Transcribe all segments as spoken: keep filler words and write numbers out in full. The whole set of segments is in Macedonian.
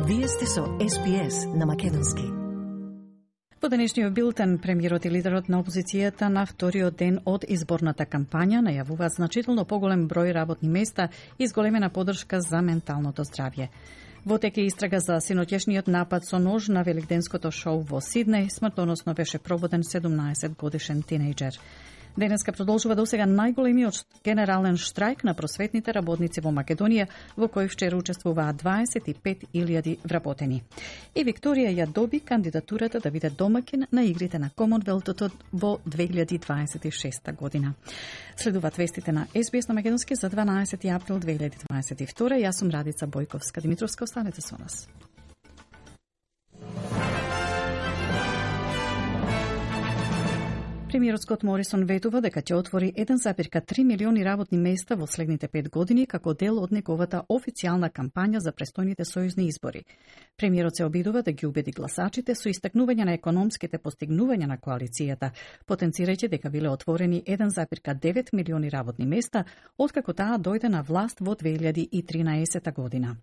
Вие сте со Ес Би Ес на македонски. Во денешниот билтен, премиерот и лидерот на опозицијата на вториот ден од изборната кампања најавуваат значително поголем број работни места и зголемена поддршка за менталното здравје. Во тек е истрага за синоќешниот напад со нож на великденското шоу во Сиднеј, смртоносно беше прободен седумнаесет годишен тинејџер. Денеска продолжува до сега најголемиот генерален штрајк на просветните работници во Македонија, во кој вчера учествуваат дваесет и пет илјади вработени. И Викторија ја доби кандидатурата да биде домаќин на игрите на Комонвелтот во две илјади дваесет и шеста година. Следуваат вестите на Ес Би Ес на македонски за дванаесети април две илјади дваесет и втора. Јас сум Радица Бојковска Димитровска, останете со нас. Премиерот Скот Морисон ветува дека ќе отвори еден зарез три милиони работни места во следните пет години како дел од неговата официјална кампања за престојните сојузни избори. Премиерот се обидува да ги убеди гласачите со истакнување на економските постигнувања на коалицијата, потенцирајќи дека биле отворени еден зарез девет милиони работни места откако таа дојде на власт во две илјади и тринаесета година.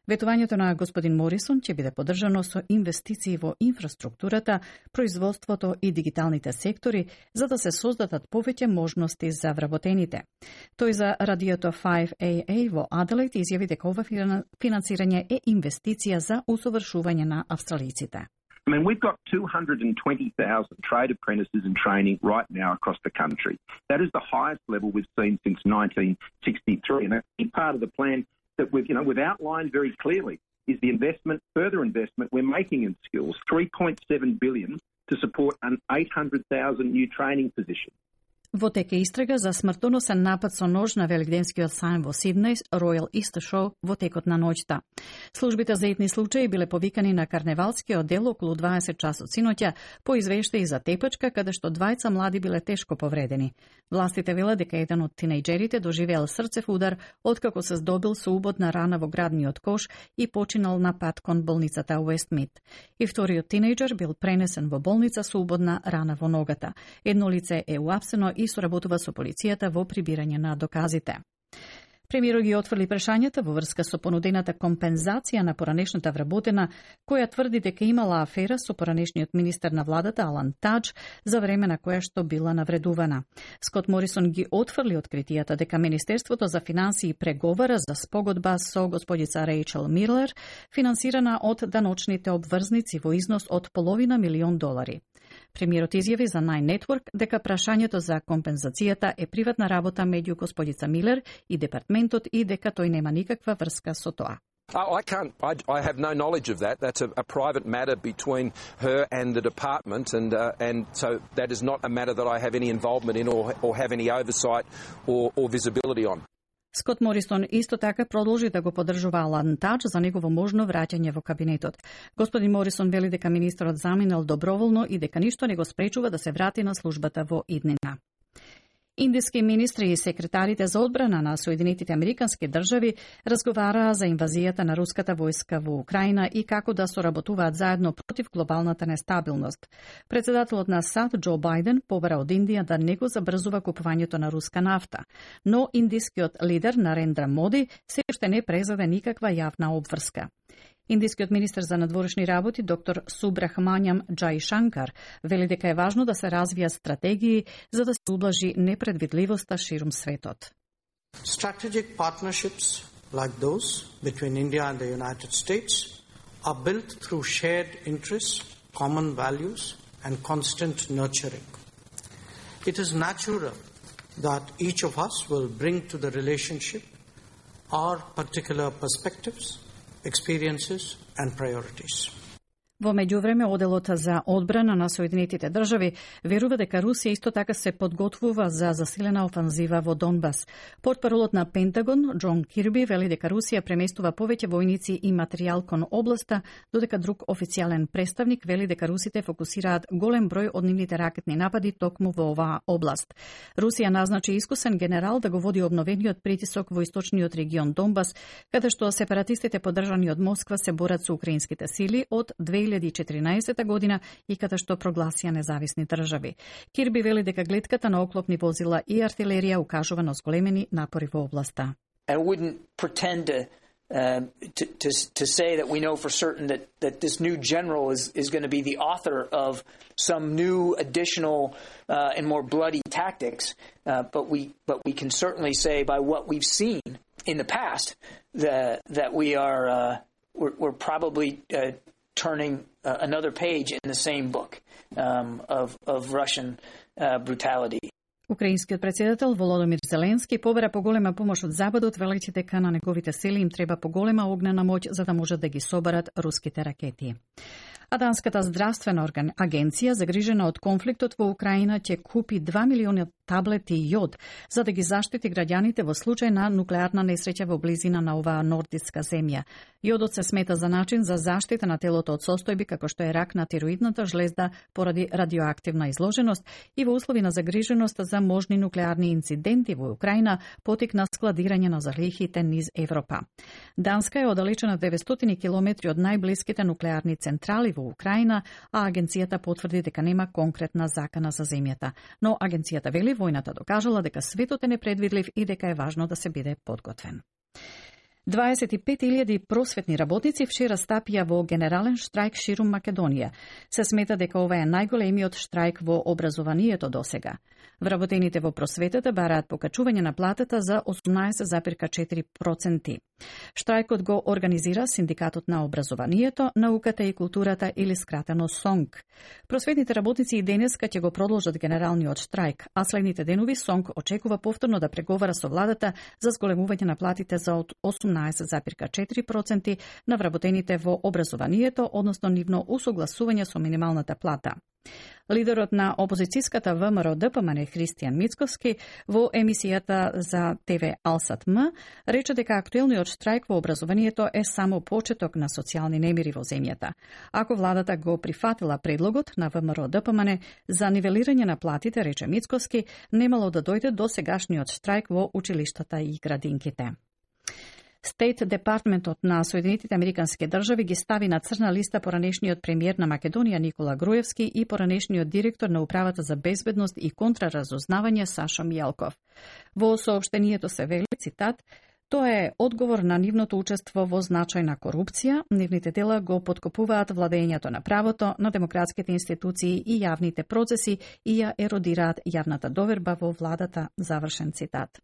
Ветувањето на господин Морисон ќе биде поддржано со инвестиции во инфраструктурата, производството и дигиталните сектори, за да се создадат повеќе можности за вработените. Тој за радиото фајв ей ей во Аделаид изјави дека ова финансирање е инвестиција за усовршување на австралиците. I mean, we've got two hundred twenty thousand trade apprentices in training right now across the country. That is the highest level we've seen since nineteen sixty-three. And a key part of the plan that we've, you know, we've outlined very clearly is the investment, further investment we're making in skills, three point seven billion dollars to support an eight hundred thousand new training positions. Во тек е истрага за смртоносен напад со нож на великденскиот сајм во Сиднеј, Ројал Истер Шоу, во текот на ноќта. Службите за итни случаи биле повикани на карневалскиот дел околу дваесет часот синоќа по извештаи за тепачка, каде што двајца млади биле тешко повредени. Властите велат дека еден од тинејџерите доживеал срцев удар откако се здобил со убодна рана во градниот кош и починал на пат кон болницата Уестмид. И вториот тинејџер бил пренесен во болница со убодна рана во ногата. Едно лице е уапсено и соработува со полицијата во прибирање на доказите. Премиерот ги отфрли прашањата во врска со понудената компензација на поранешната вработена, која тврди дека имала афера со поранешниот министер на владата Алан Тадж за време на која што била навредувана. Скот Морисон ги отфрли откритијата дека Министерството за финансии преговара за спогодба со господица Рејчел Милер, финансирана од даночните обврзници во износ од половина милион долари. Премиерот изјави за Nine Network дека прашањето за компензацијата е приватна работа меѓу господица Милер и департментот и дека тој нема никаква врска со тоа. I can't, I, I have no knowledge of that. That's a, a private matter between her and the department, and uh, and so that is not a matter that I have any involvement in or, or have any oversight or, or visibility on. Скот Морисон исто така продолжи да го поддржува Алан Тадж за негово можно враќање во кабинетот. Господин Морисон вели дека министерот заминал доброволно и дека ништо не го спречува да се врати на службата во иднина. Индиски министри и секретарите за одбрана на Соединетите Американски држави разговараа за инвазијата на руската војска во Украина и како да соработуваат заедно против глобалната нестабилност. Председателот на САД Џо Бајден побара од Индија да не го забрзува купувањето на руска нафта, но индискиот лидер Нарендра Моди се уште не презаде никаква јавна обврска. Индискиот министер за надворешни работи доктор Субрахмањам Џаишанкар вели дека е важно да се развијат стратегии за да се ублажи непредвидливоста ширум светот. Strategic partnerships like those between India and the United States are built through shared interests, common values and constant nurturing. It is natural that each of us will bring to the relationship our particular perspectives, experiences and priorities. Во меѓувреме, оделот за одбрана на Соединетите држави верува дека Русија исто така се подготвува за засилена офанзива во Донбас. Портпаролот на Пентагон, Џон Кирби, вели дека Русија преместува повеќе војници и материјал кон областа, додека друг официјален представник вели дека русите фокусираат голем број од нивните ракетни напади токму во оваа област. Русија назначи искусен генерал да го води обновениот притисок во источниот регион Донбас, каде што сепаратистите поддржани од Москва се борат со украинските сили од две илјади и четиринаесета година и каде што прогласија независни држави. Кирби вели дека глетката на оклопни возила и артилерија укажува на зголемени напори во областа. I wouldn't pretend to Um, to, to, to say that we know for certain that, that this new general is, is going to be the author of some new additional uh, and more bloody tactics, uh, but we but we can certainly say by what we've seen in the past that that we are uh, we're, we're probably uh, turning uh, another page in the same book um, of of Russian uh, brutality. Украинскиот претседател Володомир Зеленски побера поголема помош од Западот, велејќи дека на неговите сили им треба поголема огнена моќ за да можат да ги соберат руските ракети. А Данската здравствена агенција, загрижена од конфликтот во Украина, ќе купи два милиони таблети јод за да ги заштити граѓаните во случај на нуклеарна несреќа во близина на оваа нордиска земја. Јодот се смета за начин за заштита на телото од состојби како што е рак на тироидната жлезда поради радиоактивна изложеност и во услови на загриженост за можни нуклеарни инциденти во Украина потикна складирање на залихите низ Европа. Данска е оддалечена деветстотини километри од најблиските нуклеарни централи во Украина, а агенцијата потврди дека нема конкретна закана за земјата. Но агенцијата вели војната докажала дека светот е непредвидлив и дека е важно да се биде подготвен. дваесет и пет илјади просветни работници вчера стапија во генерален штрајк ширум Македонија. Се смета дека ова е најголемиот штрајк во образованието досега. Вработените во просветата бараат покачување на платата за осумнаесет зарез четири проценти. Штрајкот го организира Синдикатот на образованието, науката и културата или скратено СОНК. Просветните работници и денеска ќе го продолжат генералниот штрајк, а следните денови СОНК очекува повторно да преговара со владата за зголемување на платите за од осумнаесет зарез четири проценти на вработените во образованието, односно нивно усогласување со минималната плата. Лидерот на опозицијската ВМРО Д П М Н Христијан Мицковски во емисијата за Т В Алсат М рече дека актуелниот штрајк во образованието е само почеток на социјални немири во земјата. Ако владата го прифатила предлогот на ВМРО Д П М Н за нивелирање на платите, рече Мицковски, немало да дојде до сегашниот штрајк во училиштата и градинките. Стейт Департментот на Соединетите Американски држави ги стави на црна листа поранешниот премиер на Македонија Никола Груевски и поранешниот директор на Управата за безбедност и контраразузнавање Сашо Мијалков. Во соопштението се вели, цитат, тоа е одговор на нивното учество во значајна корупција, нивните дела го подкопуваат владењето на правото, на демократските институции и јавните процеси и ја еродираат јавната доверба во владата, завршен цитат.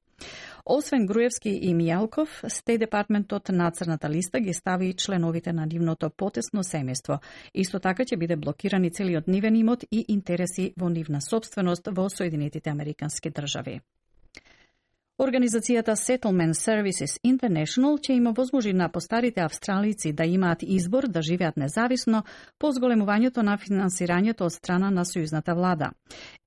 Освен Груевски и Мијалков, Стејт Департментот на црната листа ги стави и членовите на нивното потесно семејство. Исто така ќе биде блокирани целиот нивен имот и интереси во нивна собственост во Соединетите Американски држави. Организацијата Settlement Services International ќе има возможи на постарите австралици да имаат избор да живеат независно по зголемувањето на финансирањето од страна на сојузната влада.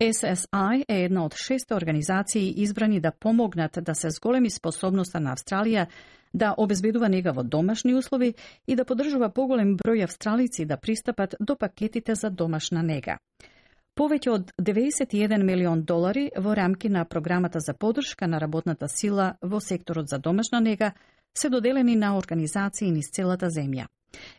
С С И е една од шест организации избрани да помогнат да се зголеми способноста на Австралија да обезбедува нега во домашни услови и да поддржува поголем број австралици да пристапат до пакетите за домашна нега. Повеќе од деветдесет и еден милион долари во рамки на програмата за поддршка на работната сила во секторот за домашна нега се доделени на организации низ целата земја.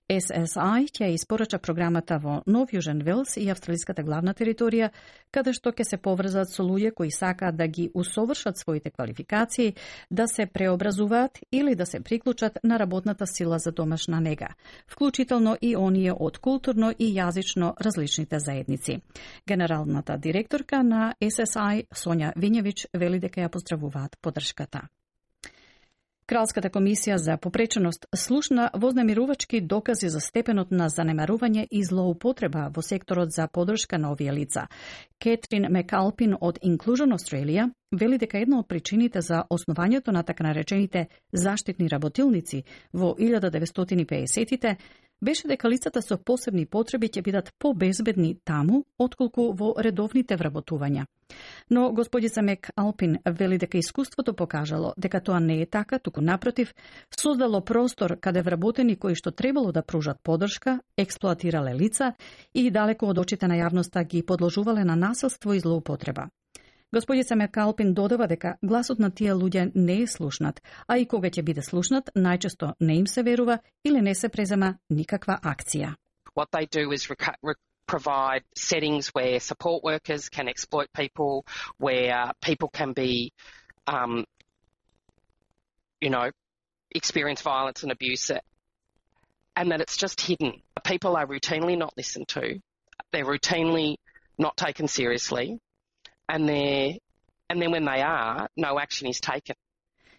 С С И ќе испорача програмата во Нов Јужен Велс и австралиската главна територија, каде што ќе се поврзат со луѓе кои сакаат да ги усовршат своите квалификации, да се преобразуваат или да се приклучат на работната сила за домашна нега, вклучително и оние од културно и јазично различните заедници. Генералната директорка на С С И, Сонја Вињевич, вели дека ја поздравуваат поддршката. Кралската комисија за попреченост слушна вознемирувачки докази за степенот на занемарување и злоупотреба во секторот за поддршка на овие лица. Кетрин Мекалпин од Inclusion Australia вели дека една од причините за основањето на така наречените заштитни работилници во илјада деветстотини и педесетите беше дека лицата со посебни потреби ќе бидат побезбедни таму, отколку во редовните вработувања. Но господица Мек Алпин вели дека искуството покажало дека тоа не е така, туку напротив, создало простор каде вработени кои што требало да пружат поддршка, експлоатирале лица и далеко од очите на јавноста ги подложувале на насилство и злоупотреба. Господица Мекалпин додава дека гласот на тие луѓе не е слушнат, а и кога ќе биде слушнат, најчесто не им се верува или не се презема никаква акција. What they do is rec- provide settings where support workers can exploit people, where people can be, um, you know, experience violence and abuse, and that it's just hidden. People are routinely not listened to. They're routinely not taken seriously, and they're and then when they are, no action is taken.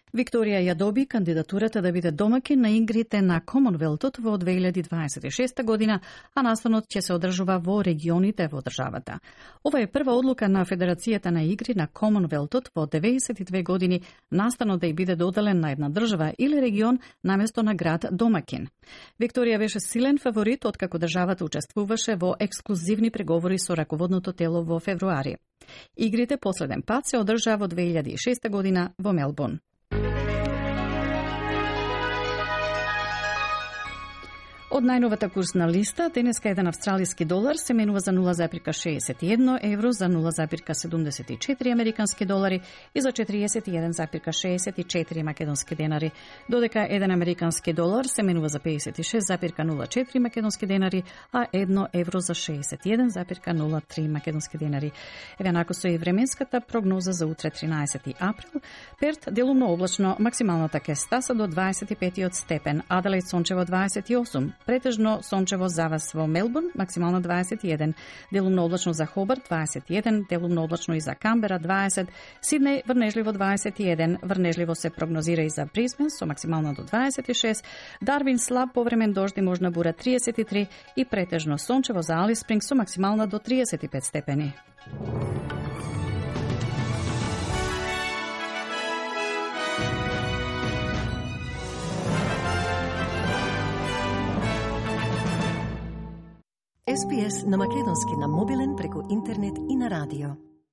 Викторија ја доби кандидатурата да биде домакин на игрите на Комонвелтот во две илјади дваесет и шеста година, а настанот ќе се одржува во регионите во државата. Ова е прва одлука на Федерацијата на игри на Комонвелтот во деветдесет и две години настанот да ја биде доделен на една држава или регион наместо на град домакин. Викторија беше силен фаворит откако државата учествуваше во ексклузивни преговори со раководното тело во февруари. Игрите последен пат се одржаа во две илјади и шеста година во Мелбурн. Од најновата курсна листа, денеска еден австралиски долар се менува за нула зарез шеесет и едно евро, за нула зарез седумдесет и четири американски долари и за четириесет и еден зарез шеесет и четири македонски денари, додека еден американски долар се менува за пеесет и шест зарез нула четири македонски денари, а едно евро за шеесет и еден зарез нула три македонски денари. Еве нако со и временската прогноза за утре тринаесети април. Перт делумно облачно, максималната ќе стаса до дваесет и пет степен, Аделаид сончево дваесет и осум, претежно сончево за вас во Мелбурн, максимално дваесет и еден, делумно облачно за Хобарт дваесет и еден, делумно облачно и за Камбера дваесет, Сиднеј врнежливо дваесет и еден, врнежливо се прогнозира и за Брисбен со максимално до дваесет и шест, Дарвин слаб повремен дожд и можна бура триесет и три и претежно сончево за Алис Спрингс со максимално до триесет и пет степени. Ес Би Ес на македонски на мобилен преку интернет и на радио.